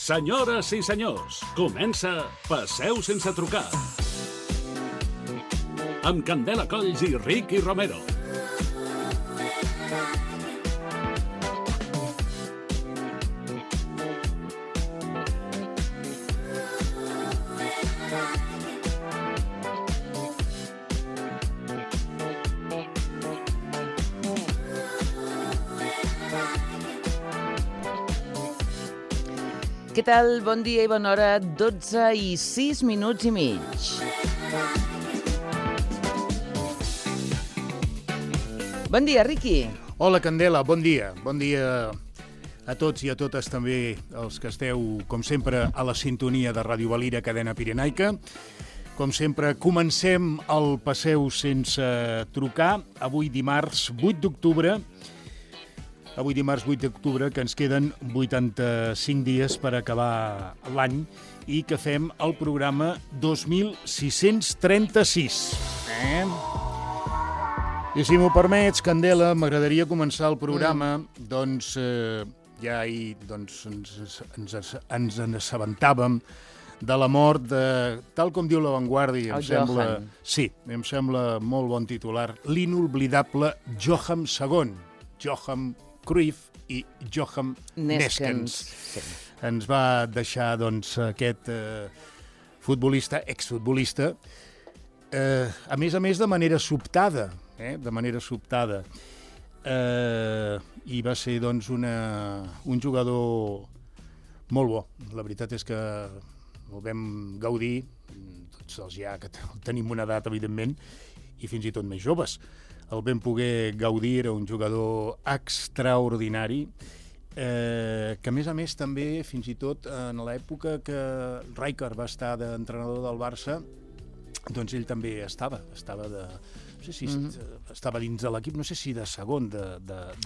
Senyores i senyors, comença Passeu sense trucar. Amb Candela Colls i Ricky Romero. Què tal? Bon dia i bona hora. 12 i 6 minuts i mig. Bon dia, Riqui. Hola, Candela, bon dia. Bon dia a tots i a totes també els que esteu, com sempre, a la sintonia de Ràdio Valira, cadena pirenaica. Com sempre, comencem el Passeu sense trucar. Avui dimarts 8 d'octubre, que ens queden 85 dies per acabar l'any i que fem el programa 2636. I si m'ho permets, Candela, m'agradaria començar el programa, ja ahir ens assabentàvem de la mort de, tal com diu La Vanguardia, em sembla molt bon titular, l'inolvidable Johan II. Johan Cruyff i Johan Neskens. Sí. Ens va deixar, doncs, aquest futbolista, exfutbolista, a més de manera sobtada, i va ser, doncs, un jugador molt bo. La veritat és que el vam gaudir, tots els ja que tenim una edat, evidentment, i fins i tot més joves. El vam poder gaudir, era un jugador extraordinari, que a més també, fins i tot en l'època que Rijkaard va estar d'entrenador del Barça, doncs ell també estava dins de l'equip, no sé si de segon de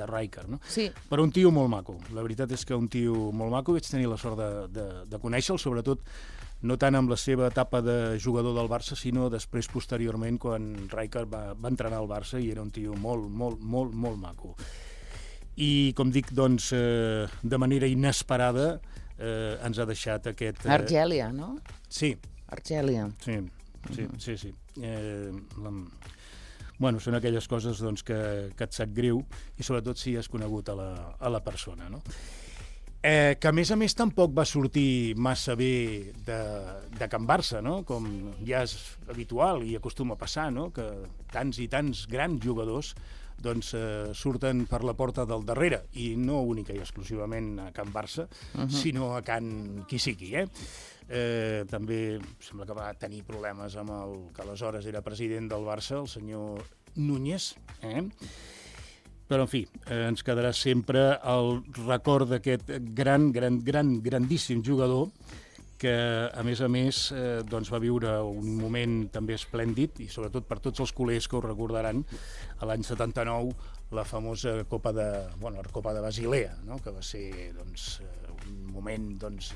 Rijkaard, no? Sí. Però un tio molt maco, la veritat és que un tio molt maco, vaig tenir la sort de conèixer-lo, sobretot no tant amb la seva etapa de jugador del Barça, sinó després, posteriorment, quan Rijkaard va entrenar al Barça i era un tio molt maco. I, com dic, doncs, de manera inesperada ens ha deixat aquest... Argèlia, no? Sí. Argèlia. Sí. Bueno, són aquelles coses, doncs, que et sap greu i sobretot si has conegut a la persona, no? Que a més tampoc va sortir massa bé de Can Barça, no? Com ja és habitual i acostuma a passar, no? Que tants i tants grans jugadors doncs, surten per la porta del darrere, i no única i exclusivament a Can Barça, sinó a Can qui sigui, també sembla que va tenir problemes amb el que aleshores era president del Barça, el senyor Núñez, Però, en fi, ens quedarà sempre el record d'aquest grandíssim jugador que, a més, doncs, va viure un moment també esplèndid, i sobretot per tots els culers que ho recordaran, a l'any 79, la famosa Copa de Basilea, no? Que va ser, doncs, un moment, doncs,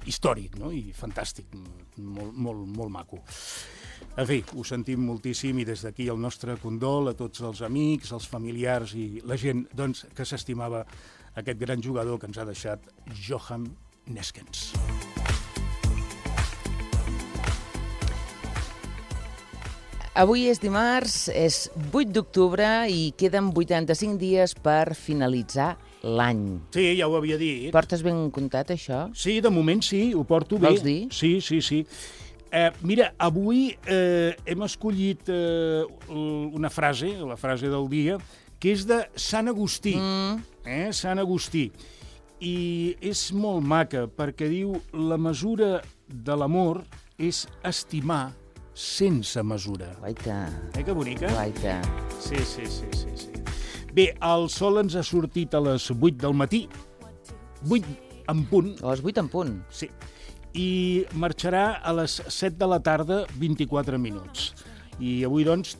històric, no? I fantàstic, molt maco. En fi, ho sentim moltíssim i des d'aquí el nostre condol a tots els amics, els familiars i la gent, doncs, que s'estimava aquest gran jugador que ens ha deixat Johan Neskens. Avui és dimarts, és 8 d'octubre i queden 85 dies per finalitzar l'any. Sí, ja ho havia dit. Portes ben comptat, això? Sí, de moment sí, ho porto bé. Vols dir? Sí. Mira, avui hem escollit una frase, la frase del dia, que és de Sant Agustí. Sant Agustí. I és molt maca, perquè diu la mesura de l'amor és estimar sense mesura. Guaita. Que bonica? Guaita. Sí. Bé, el sol ens ha sortit a les 8 del matí, 8 en punt. A les 8 en punt. Sí. I marxarà a les 7 de la tarda, 24 minuts. I avui, doncs,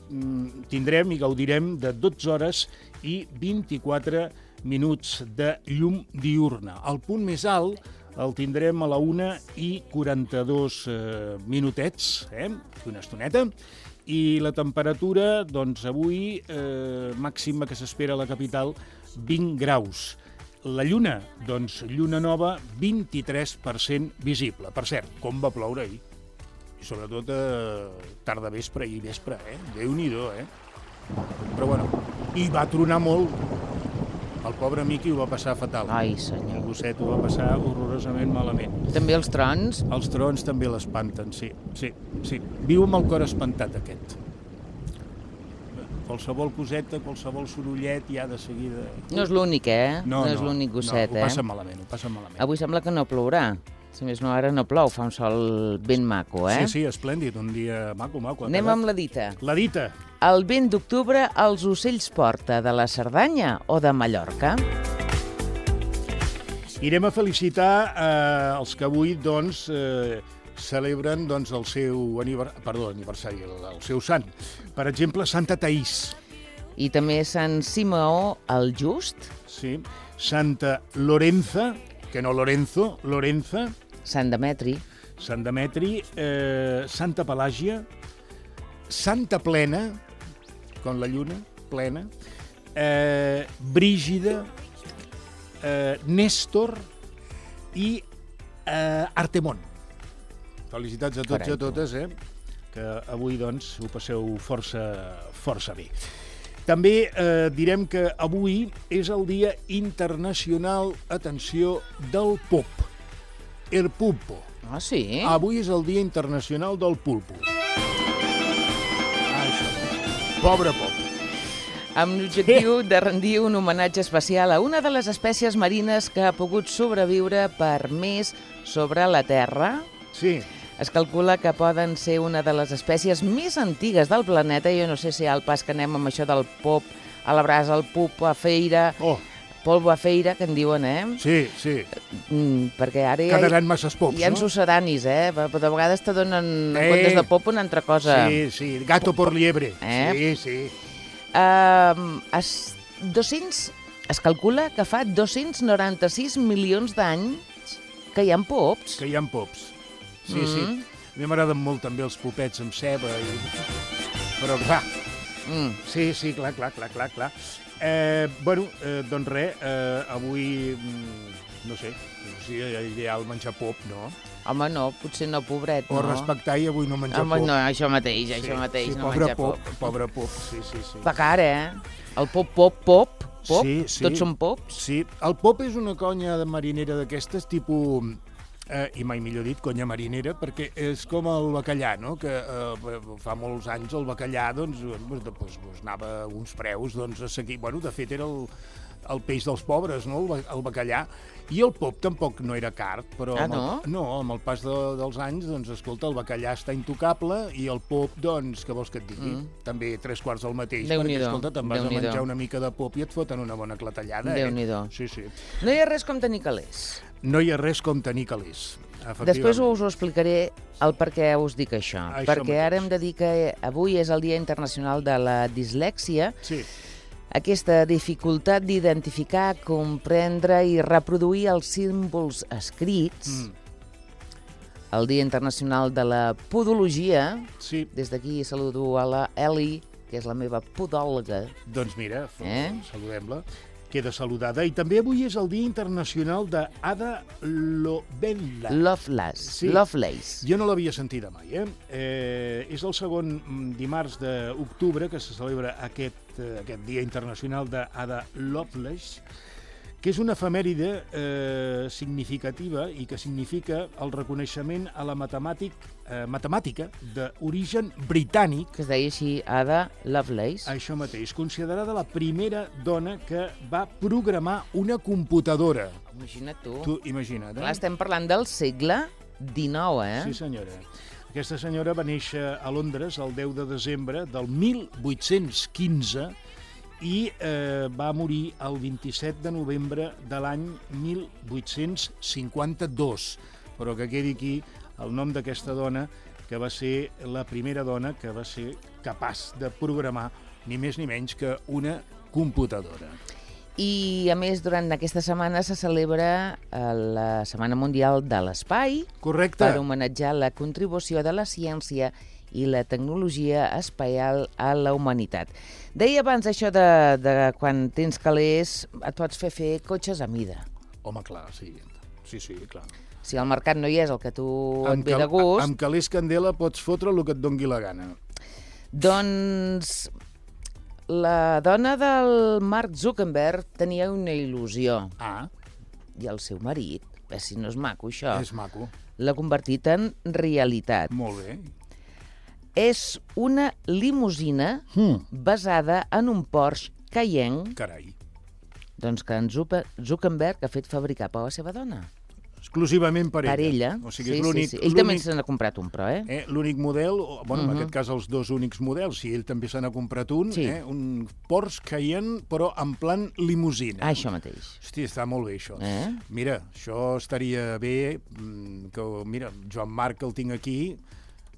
tindrem i gaudirem de 12 hores i 24 minuts de llum diurna. El punt més alt el tindrem a la 1:42 minutets, una estoneta, i la temperatura, doncs, avui, màxima que s'espera a la capital, 20 graus. La Lluna, doncs lluna nova, 23% visible. Per cert, com va ploure ahir. I sobretot tarda vespre i vespre, Déu-n'hi-do, Però bueno, i va tronar molt. El pobre Miqui ho va passar fatal. Ai, senyor. El gosset ho va passar horrorosament malament. També els trons? Els trons també l'espanten, sí. Viu amb el cor espantat, aquest. Qualsevol coseta, qualsevol sorollet, ja de seguida... No és l'únic, No és l'únic gosset, ho passa malament, Avui sembla que no plourà. Si més no, ara no plou, fa un sol ben maco, Sí, esplèndid, un dia maco. Anem amb la dita. La dita. El vent d'octubre els ocells porta de la Cerdanya o de Mallorca? Irem a felicitar els que avui, doncs, celebren doncs, el seu aniversari, el seu sant. Per exemple, Santa Taís. I també Sant Simeó el Just. Sí. Santa Lorenza, que no Lorenzo, Lorenza. Sant Demetri. Sant Demetri. Santa Pelàgia. Santa Plena, com la lluna, plena. Brígida. Néstor i Artemon. Felicitats a tots i a totes, que avui doncs ho passeu força bé. També direm que avui és el Dia Internacional, atenció, del pop. El pulpo. Ah, sí? Avui és el Dia Internacional del pulpo. Això. Pobre pop. Amb l'objectiu de rendir un homenatge especial a una de les espècies marines que ha pogut sobreviure per més sobre la Terra. Sí. Es calcula que poden ser una de les espècies més antigues del planeta. Jo no sé si al pas que anem amb això del pop a la brasa, el pup a feira, polvo a feira, que en diuen, Sí. Perquè ara quedaran masses pops, hi ha succedanis, Però de vegades te donen, en comptes de pop, una altra cosa. Sí, gato por liebre. Sí. Es calcula que fa 296 milions d'anys que hi ha pops. Sí. A mi m'agraden molt també els popets amb ceba. Però clar, sí, clar. Doncs res, avui, no sé si és ideal menjar pop, no? Home, no, potser no, pobret, no. O respectar i avui no menjar pop. No, això mateix, no menjar pop. Pobre pop, sí. Va cara, El pop. Sí. Tots són pops? Sí, el pop és una conya de marinera d'aquestes, tipus... I mai millor dit, conya marinera, perquè és com el bacallà, no? Que fa molts anys el bacallà doncs, anava a uns preus a seguir. Bueno, de fet, era el peix dels pobres, no? El bacallà. I el pop tampoc no era car, però amb el pas dels anys, doncs, escolta, el bacallà està intocable i el pop, doncs, què vols que et digui? També 3/4 del mateix, perquè, escolta, te'n vas a menjar una mica de pop i et foten una bona clatellada. Déu-n'hi-do. Sí. No hi ha res com tenir calés. No hi ha res com tenir calés. Després us ho explicaré el per què us dic això. Perquè ara hem de dir que avui és el Dia Internacional de la Dislèxia. Sí. Aquesta dificultat d'identificar, comprendre i reproduir els símbols escrits. El Dia Internacional de la Podologia. Sí. Des d'aquí saludo a la Eli, que és la meva podòloga. Doncs mira, saludem-la. Queda saludada. I també avui és el Dia Internacional d'Ada Lovelace. Jo no l'havia sentida mai, És el segon dimarts d'octubre que se celebra aquest Dia Internacional d'Ada Lovelace, que és una efemèride significativa i que significa el reconeixement a la matemàtica d'origen britànic. Que es deia així, Ada Lovelace. Això mateix, considerada la primera dona que va programar una computadora. Imagina't tu. Tu imagina't, Clar, estem parlant del segle XIX, Sí, senyora. Aquesta senyora va néixer a Londres el 10 de desembre del 1815 i va morir el 27 de novembre de l'any 1852. Però que quedi aquí el nom d'aquesta dona, que va ser la primera dona que va ser capaç de programar ni més ni menys que una computadora. I, a més, durant aquesta setmana se celebra la Setmana Mundial de l'Espai. Correcte. Per homenatjar la contribució de la ciència i la tecnologia espacial a la humanitat. Deia abans això de quan tens calés et pots fer cotxes a mida. Home, clar, sí. Sí, clar. Si al mercat no hi és el que tu et ve de gust... Amb calés candela pots fotre el que et dongui la gana. Doncs la dona del Mark Zuckerberg tenia una il·lusió. I el seu marit, si no és maco això, És maco. l'ha convertit en realitat. Molt bé. És una limusina basada en un Porsche Cayenne. Carai. Doncs que en Zuckerberg ha fet fabricar per la seva dona. Exclusivament per ella. Per ella. O sigui, és l'únic... Ell també se n'ha comprat un, però, l'únic model, bueno, en aquest cas els dos únics models, si ell també se n'ha comprat un, un Porsche Cayenne, però en plan limusina. Això mateix. Hòstia, està molt bé, això. Mira, això estaria bé, que, mira, Joan Marc, que el tinc aquí,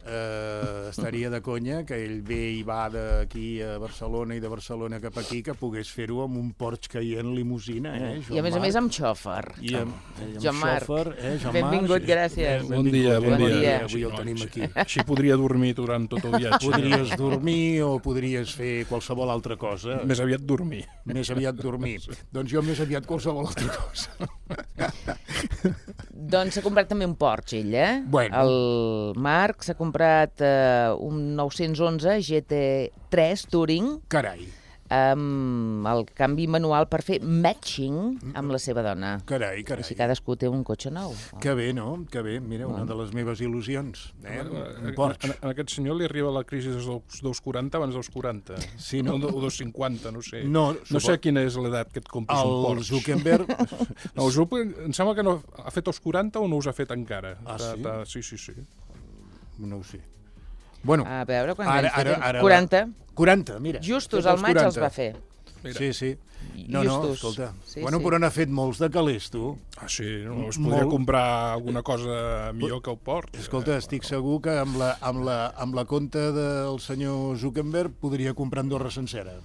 estaria de conya que ell ve i va d'aquí a Barcelona i de Barcelona cap aquí, que pogués fer-ho amb un Porsche Cayenne limusina, I a més amb xòfer. I amb Joan Marc. Joan benvingut, gràcies. Bon dia. Avui el tenim aquí. Així podria dormir durant tot el viatge. Podries dormir o podries fer qualsevol altra cosa. Més aviat dormir. Més aviat dormir. Doncs jo més aviat qualsevol altra cosa. Doncs s'ha comprat també un Porsche, ell, Bueno. El Marc s'ha comprat un 911 GT3 Touring. Carai. Amb el canvi manual per fer matching amb la seva dona. Carai. Així cadascú té un cotxe nou. Que bé, no? Que bé. Mira, una de les meves il·lusions. Un Porsche. A aquest senyor li arriba la crisi dels 2,40 abans dels 40. Sí, no? O 2,50, no sé. No sé quina és l'edat que et compres un Porsche. El Zuckerberg... El Zuckerberg em sembla que no ha fet els 40 o no us ha fet encara. Sí? Sí. No ho sé. Bueno, a veure, quan ara 40. 40, mira. Justos al maig els va fer. Sí. No, escolta. Bueno, però n'ha fet molts de calés, tu. Sí, no es podria comprar alguna cosa millor que el Porsche. Escolta, estic segur que amb la compta del senyor Zuckerberg podria comprar Andorra sencera.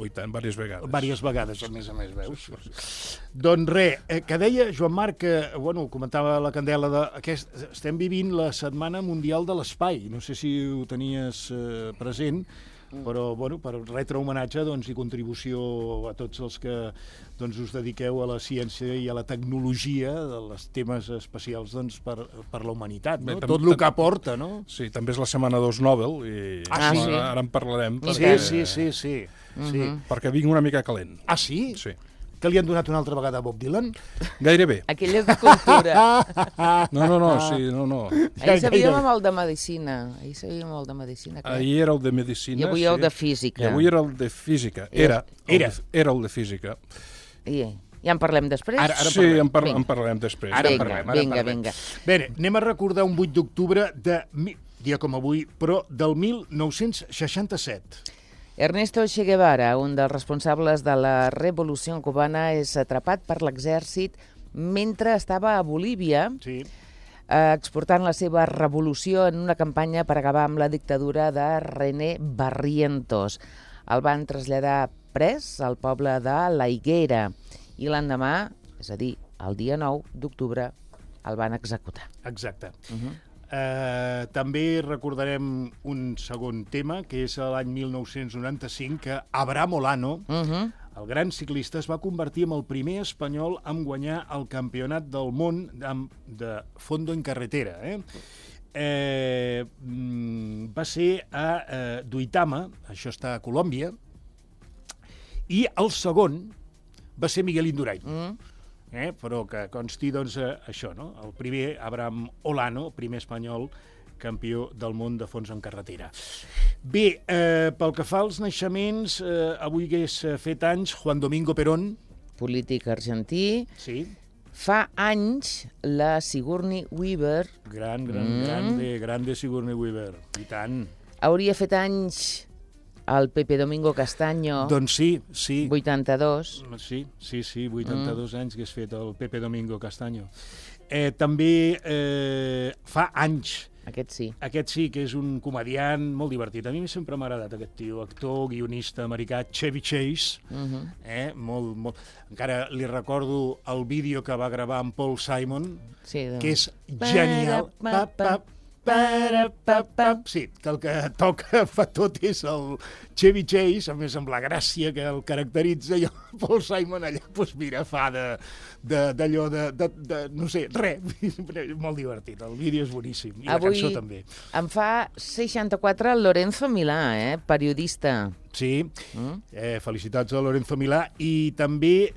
I tant, diverses vegades. Diverses vegades, a més, veus? Doncs res, que deia Joan Marc, que, bueno, comentava la Candela, estem vivint la Setmana Mundial de l'Espai. No sé si ho tenies present, però, bueno, per retre homenatge i contribució a tots els que us dediqueu a la ciència i a la tecnologia dels temes especials per la humanitat, no? Tot el que aporta, no? Sí, també és la setmana dels Nobel i ara en parlarem. Sí. Perquè vinc una mica calent. Ah, sí? Sí. Que li han donat una altra vegada a Bob Dylan? Gairebé. Aquell és de cultura. No. Ahir sabíem amb el de Medicina. Ahir era el de Medicina. I avui el de Física. I avui era el de Física. Era el de Física. Ja en parlem després? Sí, en parlarem després. Vinga. Bé, anem a recordar un 8 d'octubre dia com avui, però del 1967. Ernesto Che Guevara, un dels responsables de la Revolució cubana, és atrapat per l'exèrcit mentre estava a Bolívia, exportant la seva revolució en una campanya per acabar amb la dictadura de René Barrientos. El van traslladar pres al poble de La Higuera i l'endemà, és a dir, el dia 9 d'octubre, el van executar. Exacte. També recordarem un segon tema, que és l'any 1995, que Abraham Olano, el gran ciclista, es va convertir en el primer espanyol en guanyar el campionat del món de fondo en carretera. Va ser a Duitama, això està a Colòmbia, i el segon va ser Miguel Indurain. Però que consti, això, no? El primer, Abraham Olano, primer espanyol campió del món de fons en carretera. Bé, pel que fa als naixements, avui hagués fet anys Juan Domingo Perón. Polític argentí. Sí. Fa anys la Sigourney Weaver. Grande Sigourney Weaver. I tant. Hauria fet anys el Pepe Domingo Castaño. Doncs sí. 82. Sí, 82 anys que has fet el Pepe Domingo Castaño. També fa anys. Aquest sí, que és un comediant molt divertit. A mi sempre m'ha agradat aquest tio, actor, guionista americà, Chevy Chase. Molt. Encara li recordo el vídeo que va gravar amb Paul Simon, que és genial. Sí, que el que toca fa tot és el Chevy Chase, a més amb la gràcia que el caracteritza, i el Paul Simon allà, doncs mira, fa d'allò no sé, res, molt divertit, el vídeo és boníssim, i la cançó també. Avui em fa 64 Lorenzo Milà, periodista. Sí, felicitats a Lorenzo Milà, i també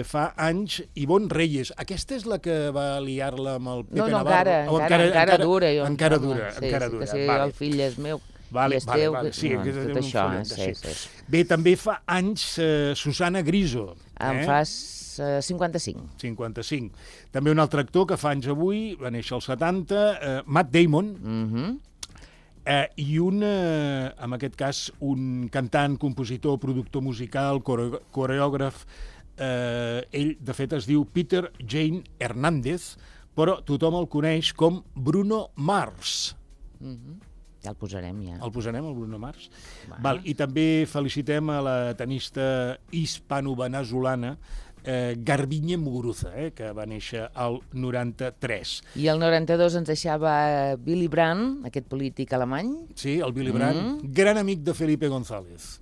fa anys Ivonne Reyes. Aquesta és la que va liar-la amb el Pepe Navarro? Encara dura. Encara dura. Que si el fill és meu i és teu, tot això. Bé, també fa anys Susana Griso. Em fas 55. 55. També un altre actor que fa anys avui, va néixer als 70, Matt Damon, i en aquest cas, un cantant, compositor, productor musical, coreògraf. Ell, de fet, es diu Peter Jane Hernández, però tothom el coneix com Bruno Mars. Ja el posarem, ja. El posarem, el Bruno Mars? Val, i també felicitem a la tenista hispano-venezolana Garbiñe Muguruza, que va néixer al 93. I el 92 ens deixava Willy Brandt, aquest polític alemany. Sí, el Willy Brandt, gran amic de Felipe González.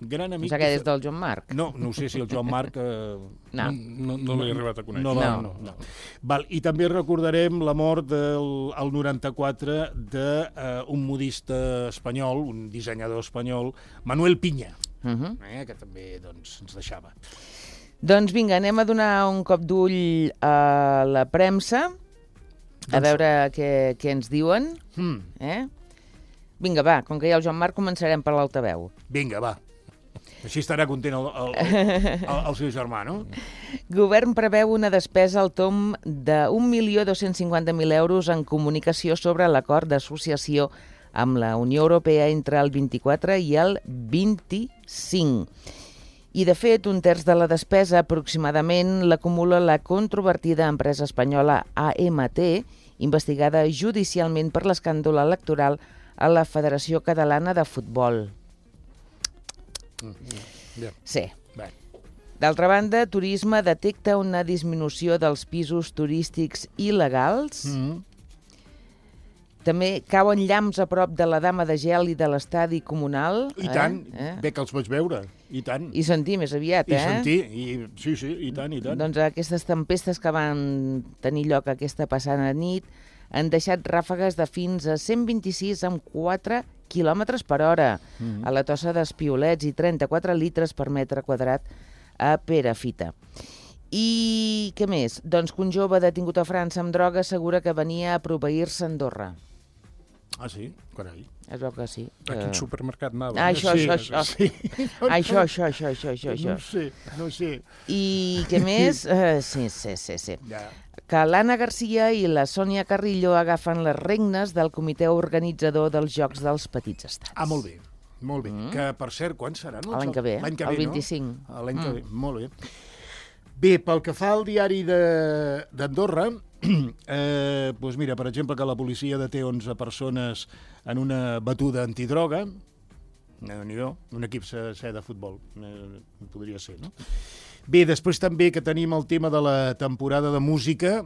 Gran amic. O sigui que és del Joan Marc. No ho sé si el Joan Marc... No l'he arribat a conèixer. No. Val, i també recordarem la mort al 94 d'un modista espanyol, un dissenyador espanyol, Manuel Piña, que també ens deixava. Doncs vinga, anem a donar un cop d'ull a la premsa, a veure què ens diuen. Vinga, va, com que hi ha el Joan Marc, començarem per l'altaveu. Vinga, va. Així estarà content el seu germà, no? Govern preveu una despesa al tomb de 1.250.000 euros en comunicació sobre l'acord d'associació amb la Unió Europea entre el 24 i el 25. I, de fet, un terç de la despesa, aproximadament, l'acumula la controvertida empresa espanyola AMT, investigada judicialment per l'escàndol electoral a la Federació Catalana de Futbol. Sí. D'altra banda, Turisme detecta una disminució dels pisos turístics il·legals. També cauen llamps a prop de la Dama de Gel i de l'estadi comunal. I tant, bé que els vaig veure, i tant. I sentir més aviat, I sentir, sí, i tant. Doncs aquestes tempestes que van tenir lloc aquesta passada nit han deixat ràfegues de fins a 126 amb 4 quilòmetres per hora a la Tossa d'Espiolets i 34 litres per metre quadrat a Perafita. I què més? Doncs que un jove detingut a França amb droga assegura que venia a proveir-se a Andorra. Ah, sí? Carai. Es veu que sí. A quin supermercat anava? Això. No sé. I què més? Sí. Que l'Anna Garcia i la Sònia Carrillo agafen les regnes del comitè organitzador dels Jocs dels Petits Estats. Ah, molt bé. Que, per cert, quan seran els Jocs? L'any que ve, el No? 25. L'any que ve, molt bé. Bé, pel que fa al diari d'Andorra, doncs mira, per exemple, que la policia deté 11 persones en una batuda antidroga, un equip de futbol, podria ser, no? Bé, després també que tenim el tema de la temporada de música,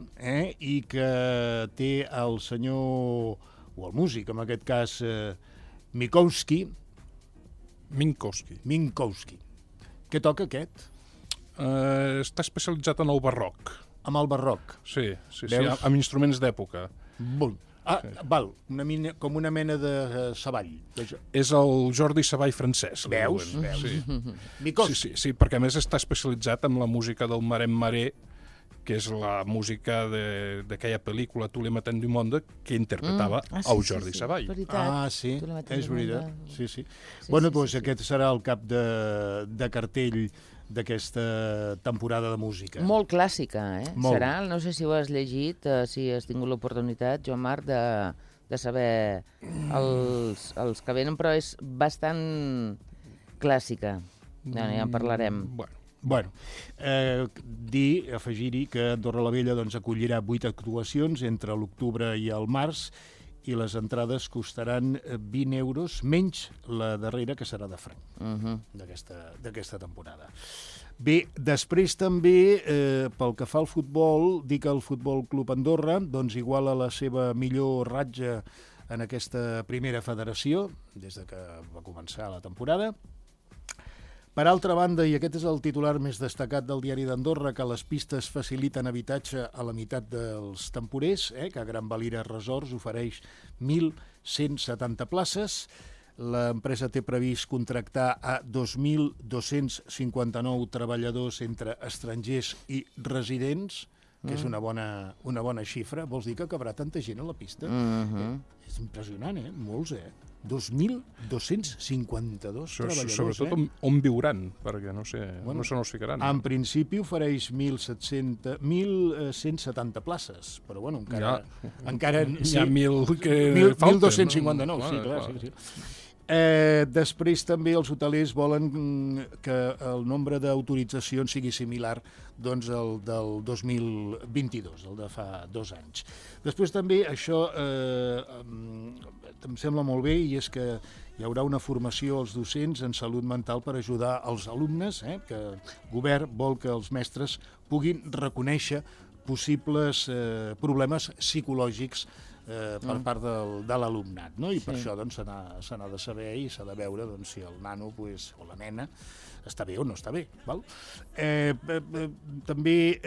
i que té el senyor, o el músic, en aquest cas, Minkowski. Què toca aquest? Està especialitzat en el barroc. Amb el barroc? Sí, amb instruments d'època. Val, com una mena de Savall. És el Jordi Savall francès. Veus? Sí, perquè a més està especialitzat en la música del Marem Maré, que és la música d'aquella pel·lícula Tous les matins du monde que interpretava el Jordi Savall. Ah, sí, és veritat. Sí. Bueno, doncs aquest serà el cap de cartell d'aquesta temporada de música. Molt clàssica, Serà, no sé si ho has llegit, si has tingut l'oportunitat, Joan Marc, de saber els que venen, però és bastant clàssica. Ja en parlarem. Bueno, afegir-hi que Andorra la Vella acollirà 8 actuacions entre l'octubre i el març, i les entrades costaran 20 euros, menys la darrera, que serà de franc, d'aquesta temporada. Bé, després també, pel que fa al futbol, dir que el Futbol Club Andorra doncs iguala la seva millor ratxa en aquesta primera federació, des que va començar la temporada. Per altra banda, i aquest és el titular més destacat del diari d'Andorra, que les pistes faciliten habitatge a la meitat dels temporers, que Gran Valira Resorts ofereix 1.170 places. L'empresa té previst contractar a 2.259 treballadors entre estrangers i residents, que és una bona xifra. Vols dir que cabrà tanta gent a la pista? És impressionant, molts, 2.252 treballadors. Sobretot on viuran, perquè no se n'os ficaran. En principi ofereix 1.170 places, però bueno, encara hi ha 1.000 que falten. 1.259, sí, clar. Després també els hotelers volen que el nombre d'autoritzacions sigui similar doncs al del 2022, el de fa 2 anys. Després també això em sembla molt bé, i és que hi haurà una formació als docents en salut mental per ajudar els alumnes, que el govern vol que els mestres puguin reconèixer possibles problemes psicològics per part de l'alumnat, no? I per això doncs, se n'ha de saber i s'ha de veure si el nano o la nena està bé o no està bé. Val? També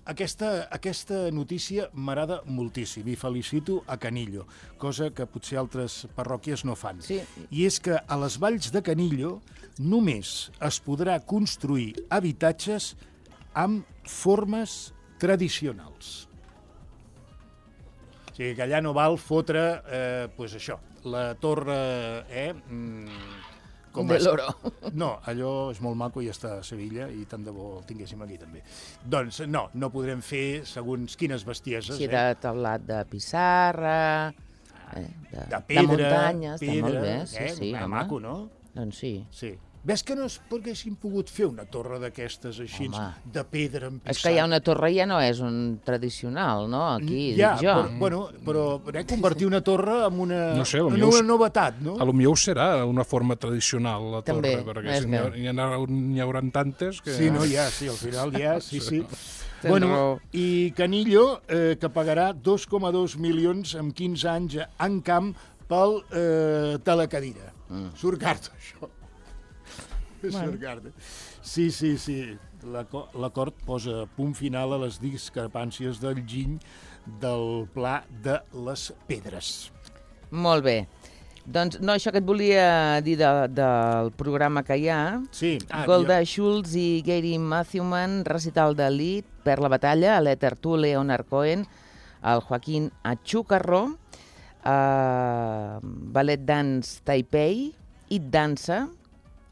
aquesta notícia m'agrada moltíssim i felicito a Canillo, cosa que potser altres parròquies no fan. Sí. I és que a les valls de Canillo només es podrà construir habitatges amb formes tradicionals. O sigui que allà no val fotre, això, la torre... de l'Oro. No, allò és molt maco i està a Sevilla i tant de bo el tinguéssim aquí també. Doncs no podrem fer segons quines bestieses. Sí, de teulat de pissarra, de pedra, de muntanya, està molt bé. Sí, maco, no? Doncs sí. Sí. Ves que no haguéssim pogut fer una torre d'aquestes així, de pedra amb pissarra? És que hi ha una torre ja no és un tradicional, no? Aquí, ja, dic jo. Però convertir una torre en una novetat, no? A lo millor serà una forma tradicional, la torre, perquè n'hi haurà tantes que... Sí, al final ja, sí. Bueno, i Canillo, que pagarà 2,2 milions en 15 anys en camp pel telecadira. Surt carta, això. Sí. L'acord posa punt final a les discrepàncies del Giny del Pla de les Pedres. Molt bé. Doncs no, això que et volia dir del programa que hi ha. Sí. Golda Schultz i Gary Matthewman, recital de Lied per la batalla, a l'Ether Tu, Leonard Cohen, el Joaquín Achúcarro, Ballet Dance Taipei, It Dansa,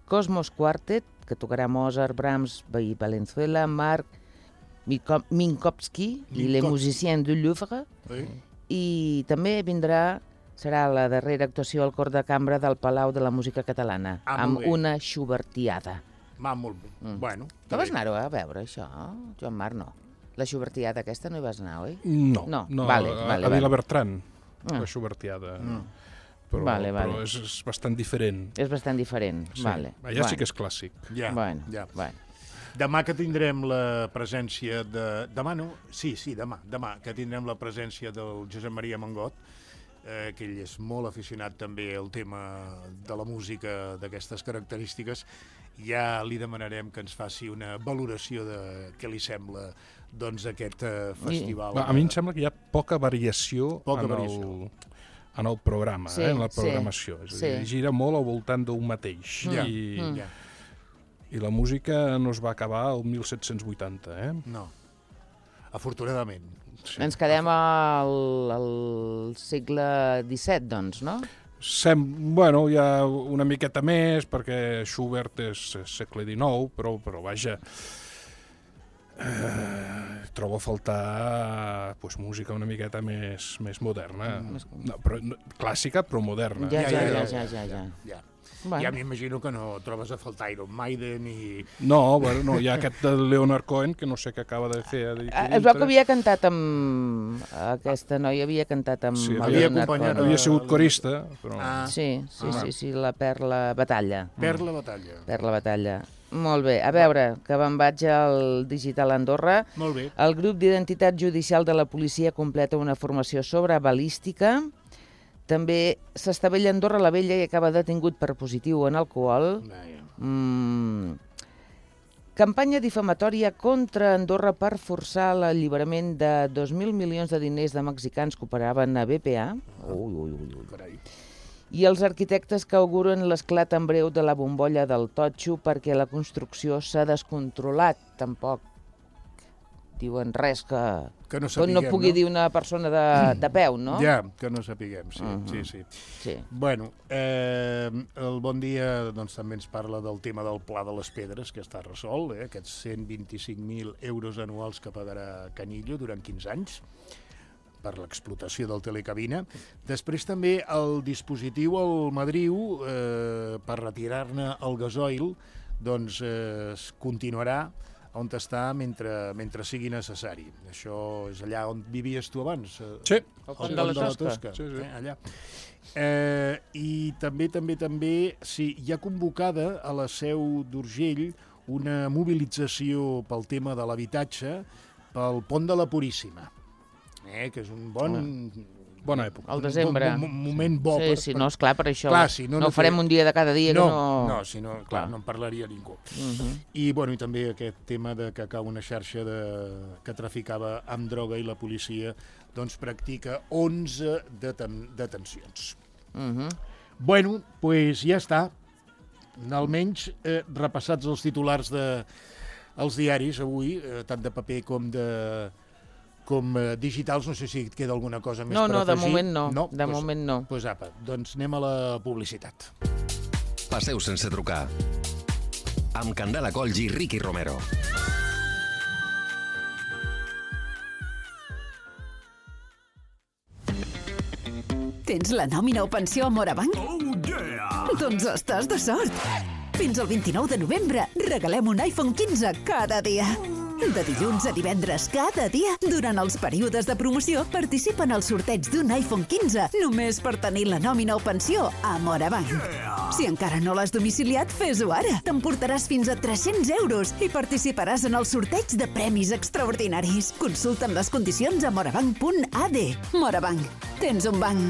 Cosmos Quartet, que tocarà Mozart, Brahms, Valenzuela, Marc Minkowski i les musiciens du Louvre. I també serà la darrera actuació al cor de cambra del Palau de la Música Catalana, amb una Schubertiada. Molt bé. Bueno, tu vas anar-ho a veure, això, Joan Marc? No. La Schubertiada aquesta no hi vas anar, oi? No. A Vilabertran, la Schubertiada. Però és bastant diferent. És bastant diferent, vale. Allà sí que és clàssic. Bueno. Demà que tindrem la presència de... Demà no? Sí, demà que tindrem la presència del Josep Maria Mangot, que ell és molt aficionat també al tema de la música d'aquestes característiques. Ja li demanarem que ens faci una valoració de què li sembla aquest festival. A mi em sembla que hi ha poca variació en el programa, en la programació. És a dir, gira molt al voltant d'un mateix. I la música no es va acabar el 1780, No, afortunadament. Ens quedem al segle XVII, doncs, no? Bueno, hi ha una miqueta més, perquè Schubert és segle XIX, però vaja... trobo a faltar música una miqueta més moderna, clàssica però moderna. Ja. Ja m'imagino que no trobes a faltar Iron Maiden i... No, bueno, hi ha aquest de Leonard Cohen, que no sé què acaba de fer. Es veu que havia cantat amb... Aquesta noia havia cantat amb Leonard Cohen. Havia sigut corista, però... Sí, la Perla Batalla. Perla Batalla. Molt bé. A veure, que me'n vaig al Digital Andorra. Molt bé. El grup d'identitat judicial de la policia completa una formació sobre balística. També s'estavella a Andorra la Vella i acaba detingut per positiu en alcohol. Campanya difamatòria contra Andorra per forçar l'alliberament de 2.000 milions de diners de mexicans que operaven a BPA. I els arquitectes que auguren l'esclat en breu de la bombolla del totxo perquè la construcció s'ha descontrolat. Tampoc diuen res que no pugui dir una persona de peu, no? Ja, que no sapiguem, sí. Bueno, el Bon Dia doncs, també ens parla del tema del Pla de les Pedres, que està resolt, aquests 125.000 euros anuals que pagarà Canillo durant 15 anys per l'explotació del telecabina. Després també el dispositiu al Madriu per retirar-ne el gasoil doncs continuarà on està mentre sigui necessari. Això és allà on vivies tu abans? Sí. Al Pont de la Tosca. Sí. Allà. I també, sí, hi ha convocada a la Seu d'Urgell una mobilització pel tema de l'habitatge pel Pont de la Puríssima, que és un bona època. Al desembre. Un moment bo. Sí, no, esclar, per això. No ho farem un dia de cada dia. No, si no, clar, no en parlaria ningú. I també aquest tema que cau una xarxa que traficava amb droga i la policia doncs practica 11 detencions. Bueno, doncs ja està. Almenys repassats els titulars dels diaris avui, tant de paper com digitals, no sé si et queda alguna cosa més per afegir. No, de moment no. Doncs apa, doncs anem a la publicitat. Passeu sense trucar. Amb Candela Colls i Ricky Romero. Tens la nòmina o pensió a Morabanc? Oh, yeah! Doncs estàs de sort! Fins al 29 de novembre regalem un iPhone 15 cada dia. De dilluns a divendres cada dia, durant els períodes de promoció, participa en el sorteig d'un iPhone 15 només per tenir la nòmina o pensió a Morabanc. Si encara no l'has domiciliat, fes-ho ara. T'emportaràs fins a 300 euros i participaràs en el sorteig de premis extraordinaris. Consulta'n les condicions a morabanc.ad. Morabanc. Tens un banc.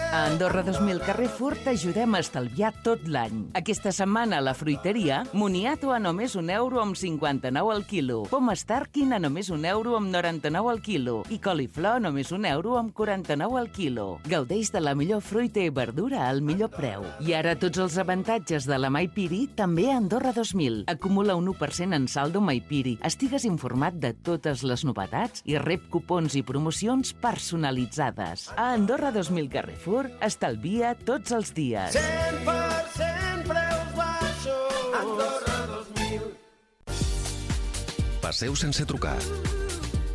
A Andorra 2000 Carrefour t'ajudem a estalviar tot l'any. Aquesta setmana a la fruiteria, moniato a només €1 amb 59 al quilo, poma Starkin a només €1 amb 99 al quilo i coliflor a només €1 amb 49 al quilo. Gaudeix de la millor fruita i verdura al millor preu. I ara tots els avantatges de la Maipiri també a Andorra 2000. Acumula un 1% en saldo Maipiri. Estigues informat de totes les novetats i rep cupons i promocions personalitzades. A Andorra 2000 Carrefour estalvia tots els dies. 100% preus baixos. Andorra 2000. Passeu sense trucar.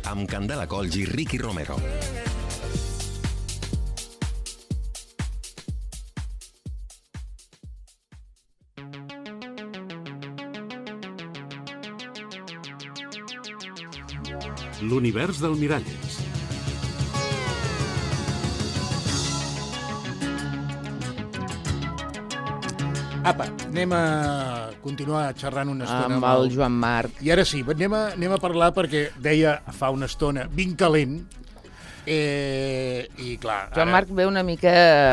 Amb Candela Colls i Ricky Romero. L'univers del Miralles. Apa, anem a continuar xerrant una estona amb el Joan Marc. I ara sí, anem a parlar perquè deia fa una estona ben calent i clar... Joan Marc ve una mica...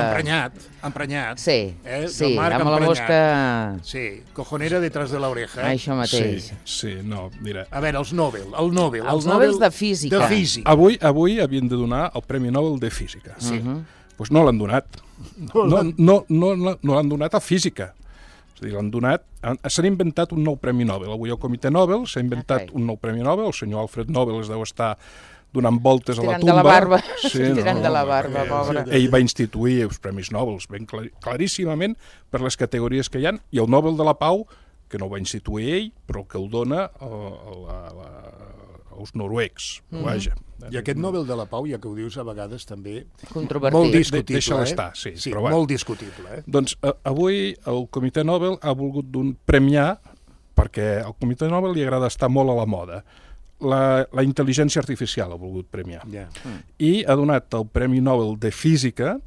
Emprenyat. Sí, Marc amb la mosca... Sí, cojonera detrás de l'oreja. Això mateix. Sí, no, mira... A veure, els Nobel. Els Nobels de Física. Avui havien de donar el Premi Nobel de Física. Sí. Doncs no l'han donat. No l'han donat a Física. És a dir, l'han donat... S'han inventat un nou Premi Nobel. Avui el Comitè Nobel s'ha inventat un nou Premi Nobel. El senyor Alfred Nobel es deu estar donant voltes a la tumba. Tirant de la barba. Sí, tirant de la barba, pobre. Ell va instituir els Premis Nobel ben claríssimament per les categories que hi ha, i el Nobel de la Pau, que no ho va instituir ell, però que el dona el els noruecs, vaja. I aquest Nobel de la Pau, ja que ho dius a vegades també... Controvertit. Molt discutible, Deixa-la estar, sí. Però molt discutible, Doncs avui el Comitè Nobel ha volgut premiar, perquè al Comitè Nobel li agrada estar molt a la moda, la intel·ligència artificial ha volgut premiar. I ha donat el Premi Nobel de Física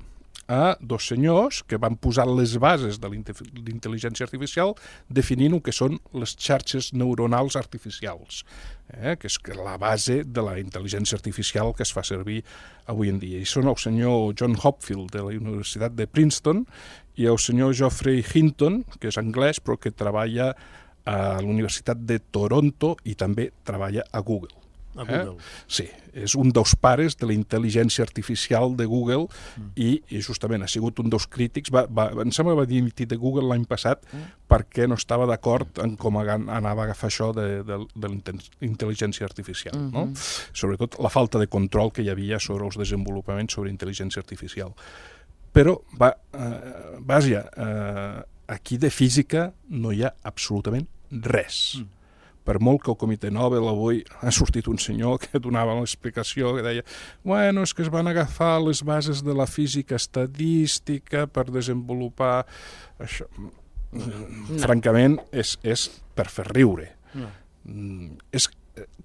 a dos senyors que van posar les bases de l'intel·ligència artificial definint el que són les xarxes neuronals artificials, que és la base de la intel·ligència artificial que es fa servir avui en dia. I són el senyor John Hopfield de la Universitat de Princeton i el senyor Geoffrey Hinton, que és anglès però que treballa a la Universitat de Toronto i també treballa a Google. A Google. Sí, és un dels pares de la intel·ligència artificial de Google i justament ha sigut un dels crítics. Em sembla que va dimitir de Google l'any passat perquè no estava d'acord en com anava a agafar això de la intel·ligència artificial. No? Sobretot la falta de control que hi havia sobre els desenvolupaments sobre intel·ligència artificial. Però, vaja, aquí de física no hi ha absolutament res. Per molt que el Comitè Nobel avui ha sortit un senyor que donava l'explicació, que deia bueno, és que es van agafar les bases de la física estadística per desenvolupar això. Francament, és per fer riure. És,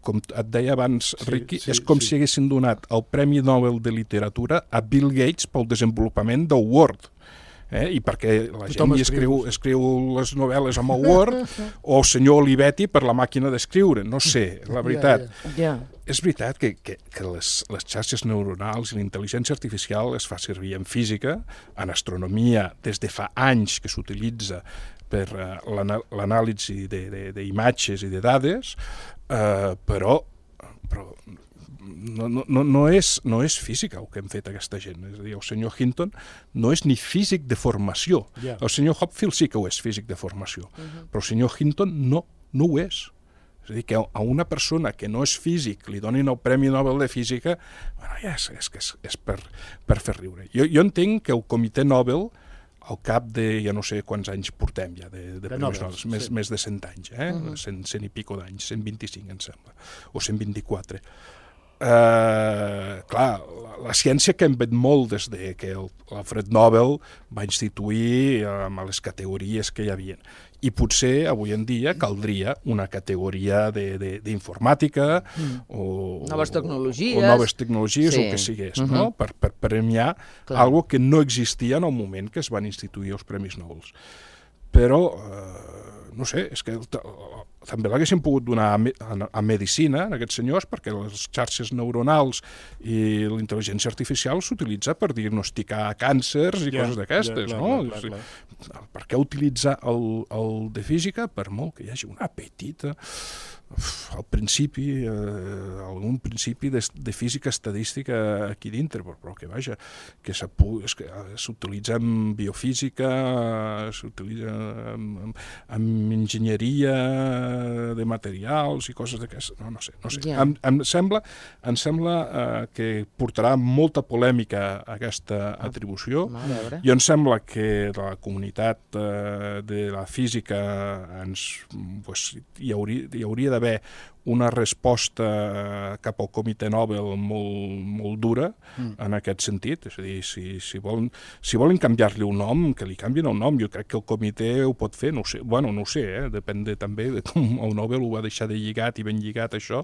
com et deia abans, Riqui, és com si haguessin donat el Premi Nobel de Literatura a Bill Gates pel desenvolupament del Word. I perquè la gent escriu les novel·les amb el Word o el senyor Olivetti per la màquina d'escriure, no sé, la veritat. És veritat que les xarxes neuronals i la intel·ligència artificial es fa servir en física, en astronomia, des de fa anys que s'utilitza per l'anàlisi d'imatges i de dades, però no és física el que hem fet aquesta gent. És a dir, el senyor Hinton no és ni físic de formació. El senyor Hopfield sí que ho és, físic de formació. Però el senyor Hinton no ho és. És a dir, que a una persona que no és físic li donin el Premi Nobel de Física, ja és per fer riure. Jo entenc que el Comitè Nobel, al cap de, ja no sé quants anys portem ja, de premis Nobel, més de 100 anys, 100 i pico d'anys, 125 em sembla, o 124. Clar, la ciència que hem vet molt des de que l'Alfred Nobel va instituir amb les categories que hi havia. I potser avui en dia caldria una categoria d'informàtica o noves tecnologies o el que sigués, no? Per premiar algo que no existia en el moment que es van instituir els Premis Nobel. Però, no sé, és que també l'haguessin pogut donar a medicina, a aquests senyors, perquè les xarxes neuronals i la intel·ligència artificial s'utilitza per diagnosticar càncers i coses d'aquestes, no? Per què utilitzar el de física? Per molt que hi hagi una petita... al principi, algun principi de física estadística aquí dintre, però que vaja, que s'utilitza en biofísica, s'utilitza en enginyeria de materials i coses d'aquestes, no sé. Em sembla que portarà molta polèmica aquesta atribució. Jo em sembla que la comunitat de la física hi hauria d'haver una resposta cap al Comitè Nobel molt dura en aquest sentit. És a dir, si volen canviar-li un nom, que li canvien el nom. Jo crec que el comitè ho pot fer, no ho sé, depèn també de com el Nobel ho va deixar de lligat i ben lligat això.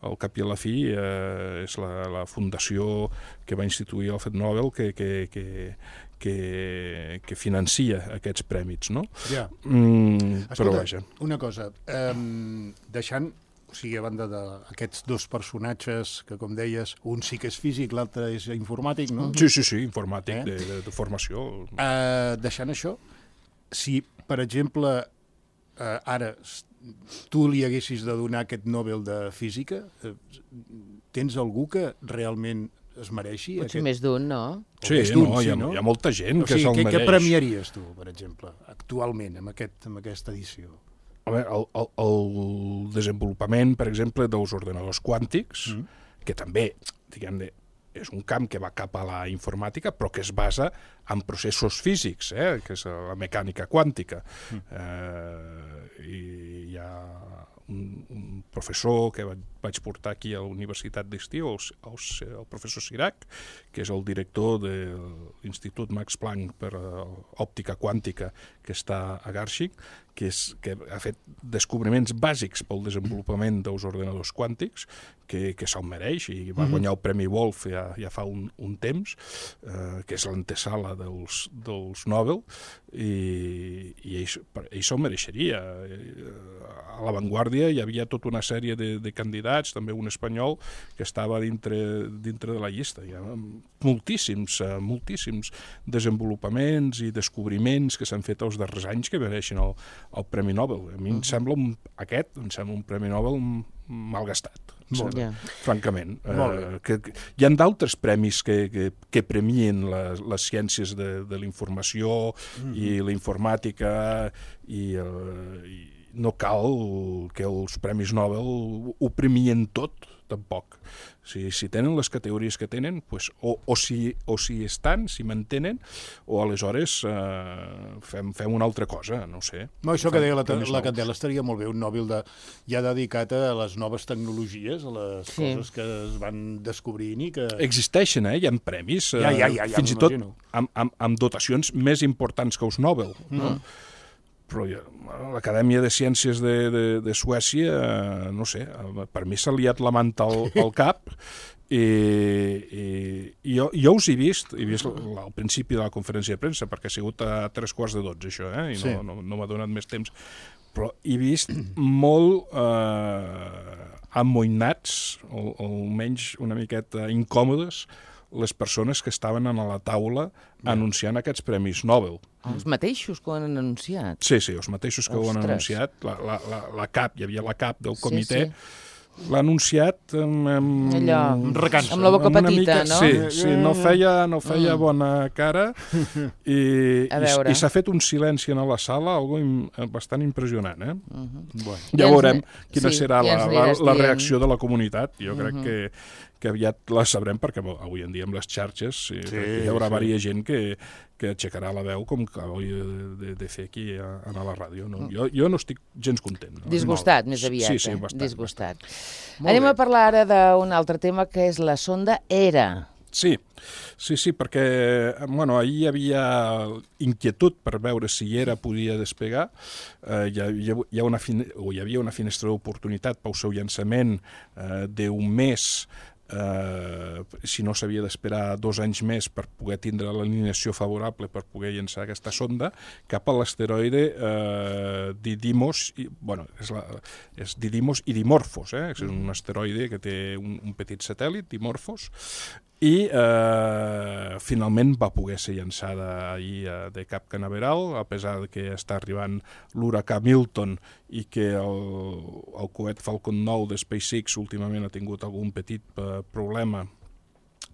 Al cap i a la fi és la fundació que va instituir el Alfred Nobel que financia aquests prèmits, no? Però vaja. Una cosa, deixant, o sigui, a banda d'aquests dos personatges que, com deies, un sí que és físic, l'altre és informàtic, no? Sí, informàtic, de formació. Deixant això, si, per exemple, ara tu li haguessis de donar aquest Nobel de Física, tens algú que realment es mereixi? Potser més d'un, no? Sí, hi ha molta gent que se'l mereix. Què premiaries tu, per exemple, actualment, amb aquesta edició? El desenvolupament, per exemple, dels ordenadors quàntics, que també, diguem-ne, és un camp que va cap a la informàtica, però que es basa amb processos físics, que és la mecànica quàntica. I hi ha un professor que vaig portar aquí a la Universitat d'Estiu, el professor Sirac, que és el director de l'Institut Max Planck per òptica quàntica que està a Garching, que ha fet descobriments bàsics pel desenvolupament dels ordenadors quàntics, que se'l mereix, i va guanyar el Premi Wolf ja fa un temps, que és l'antesala dels Nobel, i ell se'l mereixeria. A l'avantguàrdia hi havia tota una sèrie de candidats, també un espanyol, que estava dintre de la llista. Hi ha moltíssims desenvolupaments i descobriments que s'han fet els darrers anys que mereixen el Premi Nobel. A mi em sembla un Premi Nobel malgastat, francament. Hi ha d'altres premis que premien les ciències de la informació i la informàtica, i no cal que els Premis Nobel ho premien tot, tampoc. Si tenen les categories que tenen, o si estan, si mantenen, o aleshores fem una altra cosa, no sé. Això que deia la Candela estaria molt bé, un Nobel ja dedicat a les noves tecnologies, a les coses que es van descobrint i que... Existeixen, hi ha premis, fins i tot amb dotacions més importants que els Nobel, no? Però l'Acadèmia de Ciències de Suècia, no sé, per mi s'ha liat la manta al cap, i jo us he vist al principi de la conferència de premsa, perquè ha sigut a 11:45, això, i no m'ha donat més temps, però he vist molt amoïnats, o almenys una miqueta incòmodes, les persones que estaven a la taula anunciant aquests Premis Nobel. Els mateixos que ho han anunciat? Sí, els mateixos que ho han anunciat. La CAP, hi havia la CAP del comitè, l'ha anunciat amb la boca petita, no? Sí, no feia bona cara, i s'ha fet un silenci a la sala, algo bastant impressionant. Ja veurem quina serà la reacció de la comunitat. Jo crec que aviat la sabrem, perquè avui en dia amb les xarxes hi haurà diversa gent que aixecarà la veu, com que he de fer aquí a la ràdio. Jo no estic gens content. Disgustat, més aviat. Sí, bastant. Disgustat. Anem a parlar ara d'un altre tema, que és la sonda ERA. Sí, perquè ahir hi havia inquietud per veure si ERA podia despegar. Hi havia una finestra d'oportunitat pel seu llançament d'un mes, si no s'havia d'esperar 2 anys més per poder tindre l'alineació favorable per poder llançar aquesta sonda cap a l'asteroide Didymos, és Didymos i Dimorphos, és un asteroide que té un petit satèl·lit, Dimorphos, i finalment va poder ser llançada ahir de Cap Canaveral, a pesar que està arribant l'huracà Milton i que el coet Falcon 9 de SpaceX últimament ha tingut algun petit problema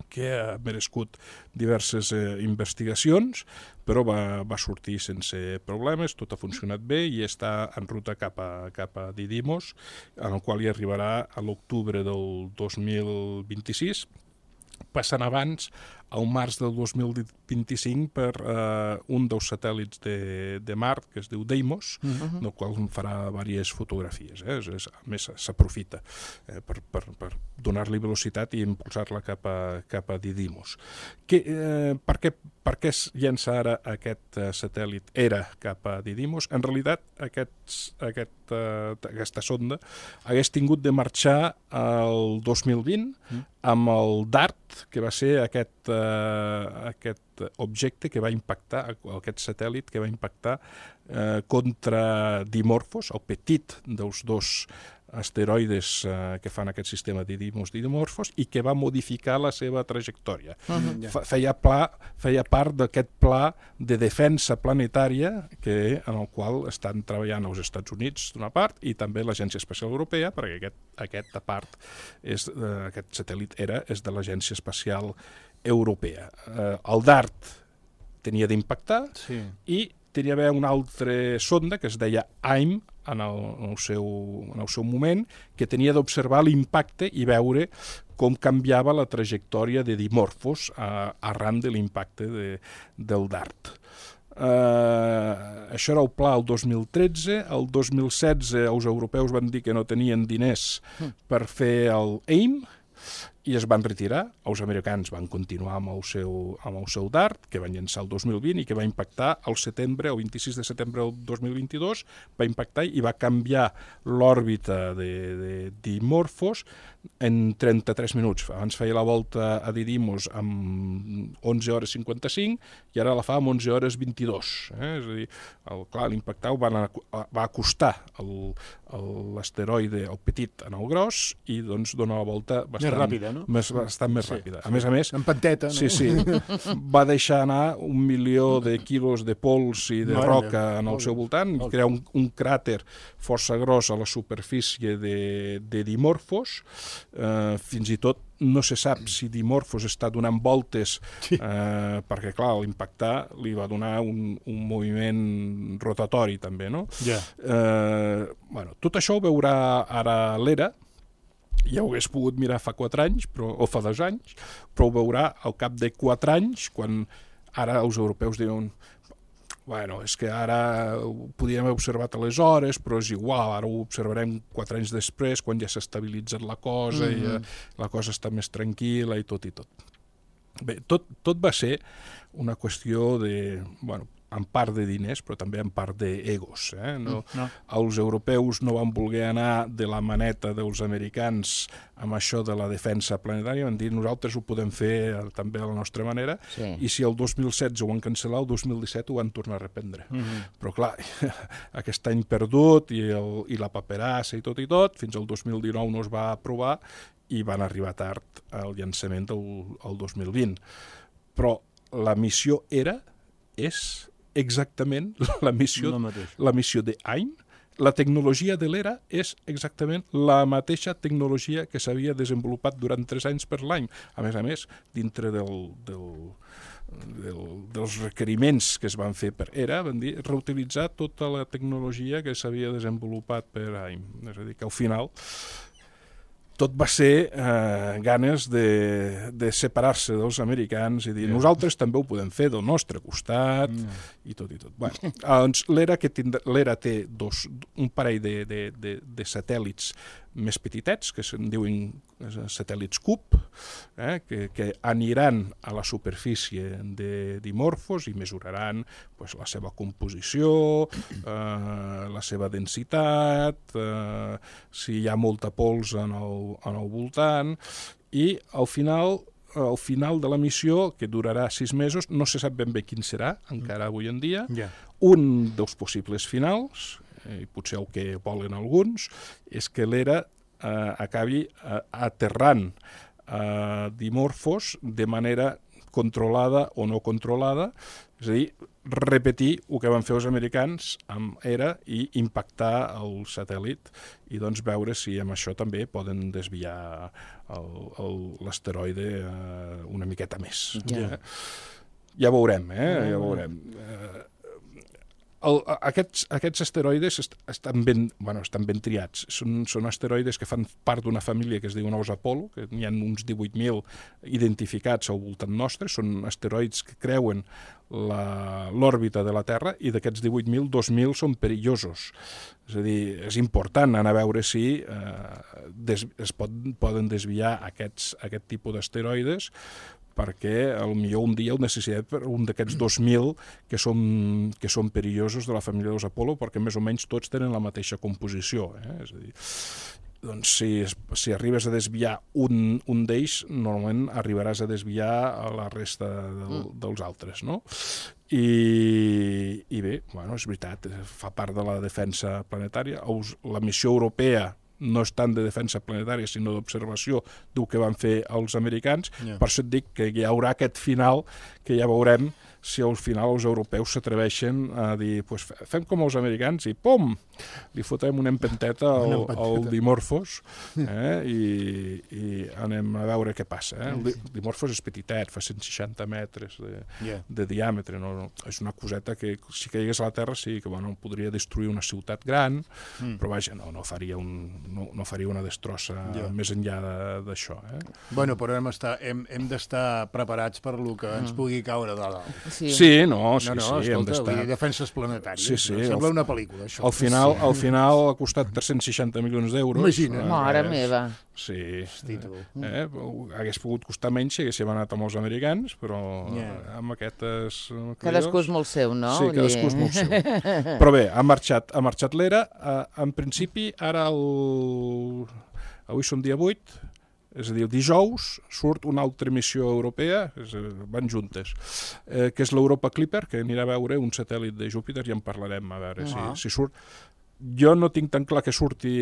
que ha merescut diverses investigacions, però va sortir sense problemes, tot ha funcionat bé i està en ruta cap a Didymos, en el qual hi arribarà a l'octubre del 2026, passant abans, al març del 2025, per un dels satèl·lits de Mart, que es diu Deimos, del qual farà diverses fotografies. A més, s'aprofita per donar-li velocitat i impulsar-la cap a Didymos. Per què es llença ara aquest satèl·lit ERA cap a Didymos? En realitat, aquesta sonda hagués tingut de marxar el 2020 amb el DART, que va ser aquest objecte que va impactar, aquest satèl·lit que va impactar contra Dimorphos, el petit dels dos asteroides que fan aquest sistema Didymos-Dimorphos, i que va modificar la seva trajectòria. Feia part d'aquest pla de defensa planetària en el qual estan treballant els Estats Units, d'una part, i també l'Agència Espacial Europea, perquè aquest satèl·lit ERA és de l'Agència Espacial Europea. El DART tenia d'impactar i tenia d'haver una altra sonda que es deia AIM en el seu moment, que tenia d'observar l'impacte i veure com canviava la trajectòria de Dimorphos arran de l'impacte del DART. Això era el pla el 2013. El 2016 els europeus van dir que no tenien diners per fer el AIM i es van retirar. Els americans van continuar amb el seu DART, que van llançar el 2020 i que va impactar el 26 de setembre del 2022, va impactar i va canviar l'òrbita de Dimorphos en 33 minuts. Abans feia la volta a Didymos amb 11 hores 55 i ara la fa amb 11 hores 22. És a dir, l'impactar va acostar l'asteroide, el petit, en el gros i doncs dona la volta bastant més ràpida, no? Bastant més ràpida. A més, en panteta, no? Sí. Va deixar anar 1 milió de quilos de pols i de roca en el seu voltant, i crear un cràter força gros a la superfície de Dimorphos. Fins i tot no se sap si Dimorphos està donant voltes perquè, clar, l'impactar li va donar un moviment rotatori també, no? Tot això ho veurà ara l'ERA. Ja ho hagués pogut mirar fa 4 anys, o fa 2 anys, però ho veurà al cap de 4 anys, quan ara els europeus diuen és que ara ho podíem haver observat aleshores, però és igual, ara ho observarem 4 anys després, quan ja s'ha estabilitzat la cosa i la cosa està més tranquil·la i tot. Bé, tot va ser una qüestió en part de diners, però també en part d'egos. Els europeus no van voler anar de la maneta dels americans amb això de la defensa planetària, van dir nosaltres ho podem fer també a la nostra manera, i si el 2016 ho van cancel·lar, el 2017 ho van tornar a reprendre. Però clar, aquest any perdut i la paperassa i tot, fins al 2019 no es va aprovar i van arribar tard al llançament del 2020. Però la missió és exactament la missió de AIM. La tecnologia de l'ERA és exactament la mateixa tecnologia que s'havia desenvolupat durant 3 anys per l'AIM. A més, dintre dels requeriments que es van fer per ERA, van dir reutilitzar tota la tecnologia que s'havia desenvolupat per AIM. És a dir, que al final tot va ser ganes de separar-se dels americans i dir nosaltres també ho podem fer del nostre costat i tot. Doncs l'ERA té un parell de satèl·lits més petitets, que se'n diuen satèl·lits CUP, que aniran a la superfície de Dimorphos i mesuraran la seva composició, la seva densitat, si hi ha molta pols en el voltant, i al final de la missió, que durarà 6 mesos, no se sap ben bé quin serà, encara avui en dia, un dels possibles finals, i potser el que volen alguns, és que l'ERA acabi aterrant a Dimorphos de manera controlada o no controlada, és a dir, repetir el que van fer els americans amb ERA i impactar el satèl·lit i doncs veure si amb això també poden desviar l'asteroide una miqueta més. Ja veurem, ja veurem. Aquests asteroides estan ben triats. Són asteroides que fan part d'una família que es diu nous Apollo, que n'hi ha uns 18.000 identificats al voltant nostre. Són asteroids que creuen l'òrbita de la Terra i d'aquests 18.000, 2.000 són perillosos. És a dir, és important anar a veure si es poden desviar aquest tipus d'asteroides, perquè potser un dia ho necessitem per un d'aquests 2.000 que són perillosos de la família dels Apollo, perquè més o menys tots tenen la mateixa composició. És a dir, doncs si arribes a desviar un d'ells, normalment arribaràs a desviar a la resta dels altres, no? I bé, és veritat, fa part de la defensa planetària. La missió europea no és tant de defensa planetària, sinó d'observació del que van fer els americans. Per això et dic que hi haurà aquest final que ja veurem si al final els europeus s'atreveixen a dir, pues, fem com els americans i pum, li fotem una empenteta al Dimorphos i anem a veure què passa. El Dimorphos és petitet, fa 160 metres de diàmetre, no? És una coseta que si caigués a la Terra sí que podria destruir una ciutat gran, però vaja, no faria una destrossa més enllà d'això. Bueno, però hem d'estar preparats per lo que ens pugui caure de dalt. Sí, hem d'estar. Defenses planetàries. Sembla una pel·lícula, això. Al final ha costat 360 milions d'euros. Imagina. Mare meva. Sí. Hagués pogut costar menys si haguéssim anat amb els americans, però amb aquestes... Cadascú és molt seu, no? Sí, cadascú és molt seu. Però bé, ha marxat l'era. En principi, ara avui som dia 8, és a dir, el dijous surt una altra missió europea, van juntes, que és l'Europa Clipper, que anirà a veure un satèl·lit de Júpiter, i en parlarem a veure si surt. Jo no tinc tan clar que surti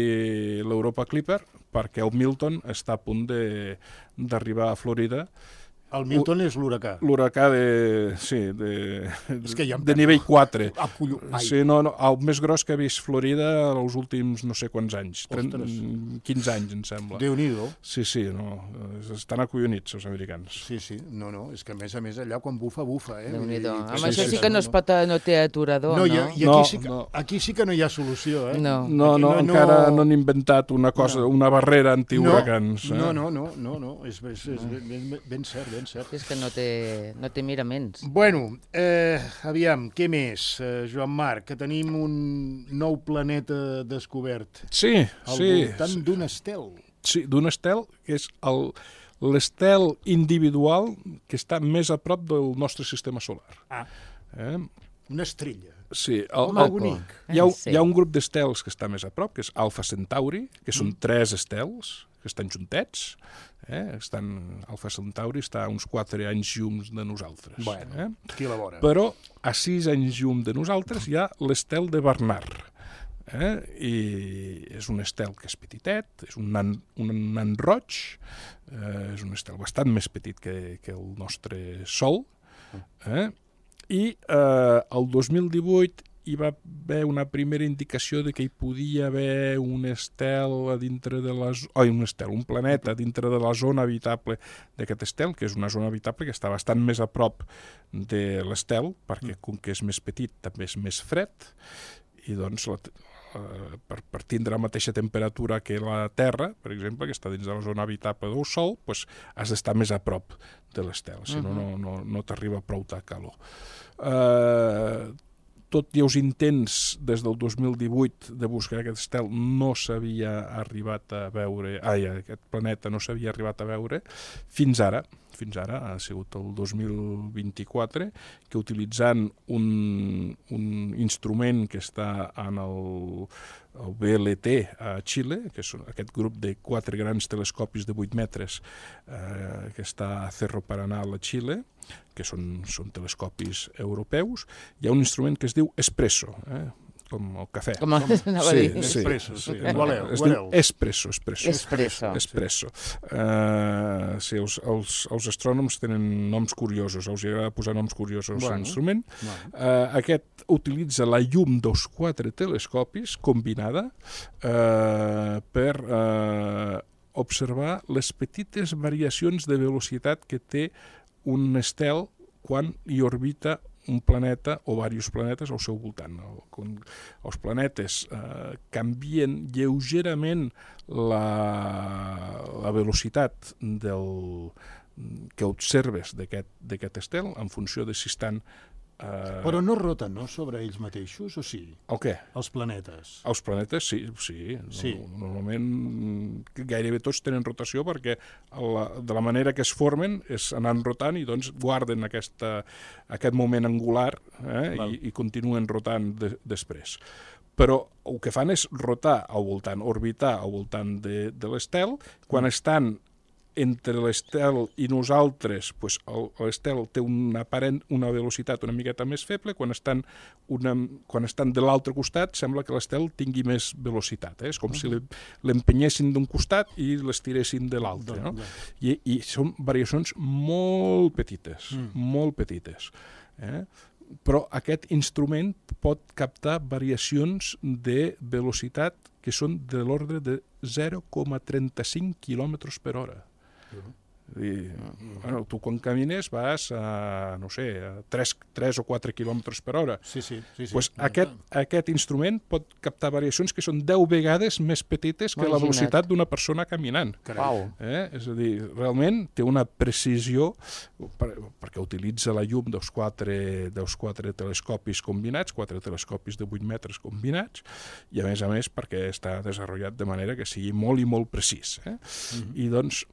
l'Europa Clipper, perquè el Milton està a punt d'arribar a Florida. El Milton és l'huracà. L'huracà de nivell 4. Sí, el més gros que ha vist Florida els últims no sé quants anys. 15 anys, em sembla. Déu-n'hi-do. Sí, estan acollonits, els americans. Sí, és que a més allà quan bufa, Déu-n'hi-do. Amb això sí que no té aturador, no? I aquí sí que no hi ha solució, No, encara no han inventat una cosa, una barrera antihuracans. No, és ben cert. És que no té miraments. Bueno, aviam, què més, Joan Marc? Que tenim un nou planeta descobert. Sí. Al voltant d'un estel. Sí, d'un estel, que és l'estel individual que està més a prop del nostre sistema solar. Una estrella. Sí, hi ha un grup d'estels que està més a prop, que és Alpha Centauri, que són 3 estels que estan juntets. Alpha Centauri està a uns 4 anys llum de nosaltres. Bueno, aquí a la vora. Però a 6 anys llum de nosaltres hi ha l'estel de Barnard. I és un estel que és petitet, és un nan roig, és un estel bastant més petit que el nostre Sol, i el 2018 hi va haver una primera indicació de que hi podia haver un planeta dintre de la zona habitable d'aquest estel, que és una zona habitable que està bastant més a prop de l'estel, perquè com que és més petit també és més fred, i doncs per tindre la mateixa temperatura que la Terra, per exemple, que està dins de la zona habitable del Sol, doncs has d'estar més a prop de l'estel, si no t'arriba prou de calor. Tot i els intents des del 2018 de buscar aquest estel no s'havia arribat a veure, aquest planeta no s'havia arribat a veure, fins ara ha sigut el 2024, que utilitzant un instrument que està en el BLT a Xile, que és aquest grup de 4 grans telescopis de 8 metres que està a Cerro Paranal a Xile, que són telescopis europeus, hi ha un instrument que es diu Espresso, com el cafè. Com anava a dir. Espresso. Es diu Espresso. Sí, els astrònoms tenen noms curiosos, els agrada posar noms curiosos a l'instrument. Aquest utilitza la llum dels 4 telescopis combinada per observar les petites variacions de velocitat que té un estel quan hi orbita un planeta o diversos planetes al seu voltant. Els planetes canvien lleugerament la velocitat que observes d'aquest estel en funció de si estan... Però no roten, no?, sobre ells mateixos, o sí? El què? Els planetes. Els planetes, sí. Normalment gairebé tots tenen rotació perquè de la manera que es formen és anant rotant i doncs guarden aquest moment angular i continuen rotant després. Però el que fan és rotar al voltant, orbitar al voltant de l'estel. Quan estan entre l'estel i nosaltres, l'estel té una velocitat una miqueta més feble, quan estan de l'altre costat sembla que l'estel tingui més velocitat. És com si l'empenyessin d'un costat i l'estiressin de l'altre. I són variacions molt petites, molt petites. Però aquest instrument pot captar variacions de velocitat que són de l'ordre de 0,35 km per hora. Bueno, tu quan camines vas a, no sé, a 3 o 4 km per hora. Sí. Pues aquest instrument pot captar variacions que són 10 vegades més petites que la velocitat d'una persona caminant. És a dir, realment té una precisió, perquè utilitza la llum dels quatre telescopis combinats, 4 telescopis de 8 metres combinats, i a més perquè està desenvolupat de manera que sigui molt i molt precís. I doncs,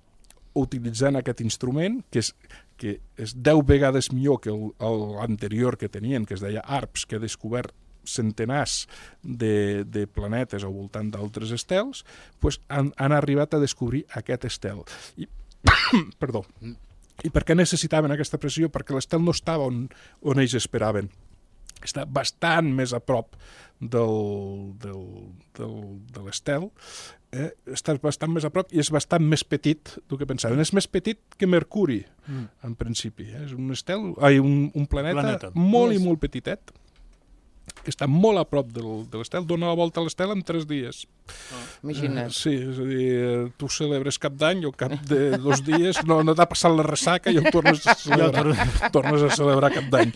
utilitzant aquest instrument, que és 10 vegades millor que l'anterior que tenien, que es deia ARPS, que ha descobert centenars de planetes al voltant d'altres estels, doncs han arribat a descobrir aquest estel. Perdó. I per què necessitaven aquesta pressió? Perquè l'estel no estava on ells esperaven. Està bastant més a prop de l'estel, està bastant més a prop i és bastant més petit del que pensaven. És més petit que Mercuri, en principi. És un planeta molt i molt petitet, que està molt a prop de l'estel, dona la volta a l'estel en 3 dies. Imagina't. Sí, és a dir, tu celebres Cap d'Any i al cap de 2 dies no t'ha passat la ressaca i el tornes a celebrar Cap d'Any.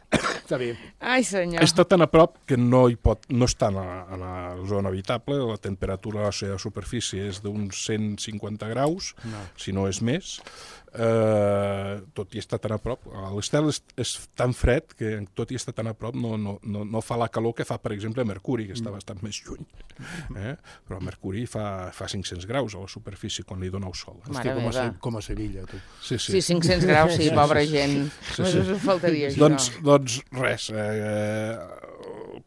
Està bé. Ai, senyor. Està tan a prop que no està en la zona habitable, la temperatura a la seva superfície és d'uns 150 graus, si no és més. Tot i estar tan a prop, l'estel és tan fred que tot i estar tan a prop no fa la calor que fa, per exemple, Mercuri, que està bastant més lluny. Però Mercuri fa 500 graus a la superfície quan li dona el sol. Hòstia, com a Sevilla, tu. Sí, 500 graus, sí, pobra gent. Només faltaria això. Doncs res,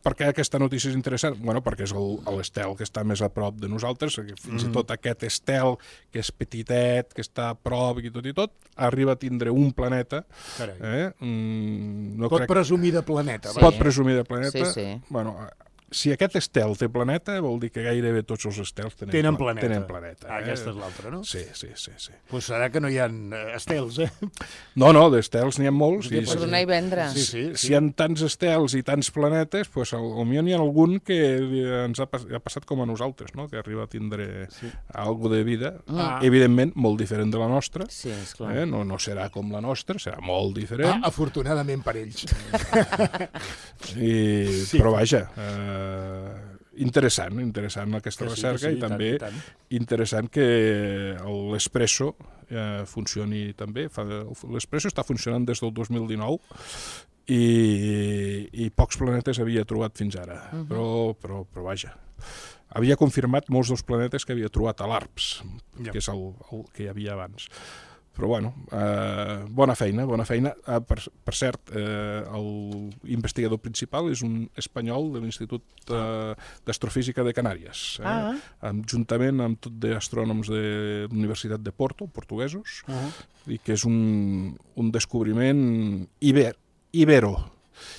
per què aquesta notícia és interessant? Bueno, perquè és l'estel que està més a prop de nosaltres, fins i tot aquest estel que és petitet, que està a prop i tot, arriba a tindre un planeta. Pot presumir de planeta. Pot presumir de planeta. Sí. Bueno, si aquest estel té planeta, vol dir que gairebé tots els estels tenen planeta. Aquesta és l'altra, no? Sí. Doncs serà que no hi ha estels, No, d'estels n'hi ha molts. Per donar i vendre. Si hi ha tants estels i tants planetes, doncs potser n'hi ha algun que ens ha passat com a nosaltres, no? Que arriba a tindre alguna de vida, evidentment molt diferent de la nostra. Sí, esclar. No serà com la nostra, serà molt diferent. Afortunadament per ells. Però vaja, interessant aquesta recerca i també interessant que l'Espresso funcioni també. L'Espresso està funcionant des del 2019 i pocs planetes havia trobat fins ara, però vaja. Havia confirmat molts dels planetes que havia trobat a l'ARPS, que és el que hi havia abans. Però bueno, bona feina. Per cert, l'investigador principal és un espanyol de l'Institut d'Astrofísica de Canàries, juntament amb tot d'astrònoms de l'Universitat de Porto, portuguesos, i que és un descobriment ibero.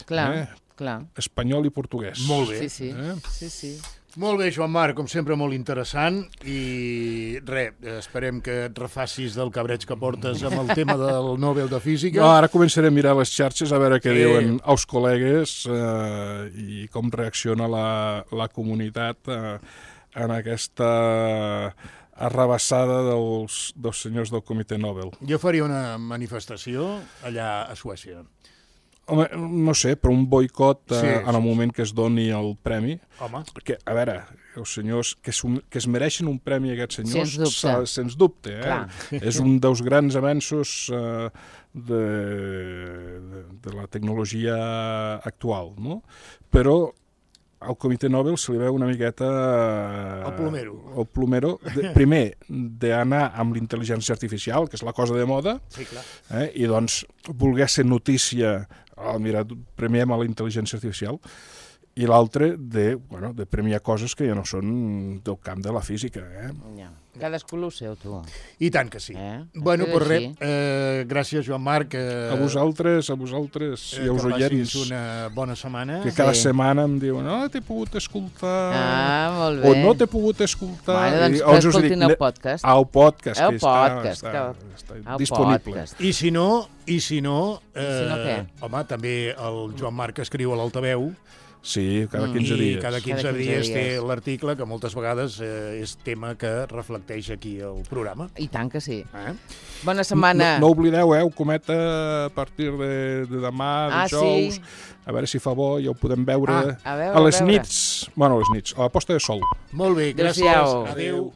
Clar. Espanyol i portuguès. Molt bé. Sí. Molt bé, Joan Marc, com sempre molt interessant i esperem que et refacis del cabreig que portes amb el tema del Nobel de Física. No, ara començaré a mirar les xarxes a veure què diuen els col·legues i com reacciona la comunitat en aquesta arrabassada dels senyors del Comitè Nobel. Jo faria una manifestació allà a Suècia. Home, no sé, però un boicot en el moment que es doni el premi. Home. Perquè, a veure, els senyors que es mereixen un premi, aquests senyors, sens dubte. És un dels grans avenços de la tecnologia actual, no? Però al Comitè Nobel se li veu una miqueta el plomero. Primer, d'anar amb l'intel·ligència artificial, que és la cosa de moda, i doncs voler ser notícia, mira, premiem a la intel·ligència artificial, i l'altre de premiar coses que ja no són del camp de la física. Cadascú el seu, tu. I tant que sí. Bueno, pues res, gràcies, Joan Marc. A vosaltres i als oients. Que passis una bona setmana. Que cada setmana em diuen, t'he pogut escoltar. Molt bé. O no t'he pogut escoltar. Bueno, doncs escoltin el podcast. El podcast, que està disponible. I si no, què? home, també el Joan Marc escriu a l'Altaveu. Sí, cada 15 dies. I cada 15 dies té l'article, que moltes vegades és tema que reflecteix aquí el programa. I tant que sí. Bona setmana. No oblideu, el Cometa, a partir de demà, dijous, a veure si fa bo, ja ho podem veure a les nits. Bueno, a les nits, a la posta de sol. Molt bé, gràcies. Adéu.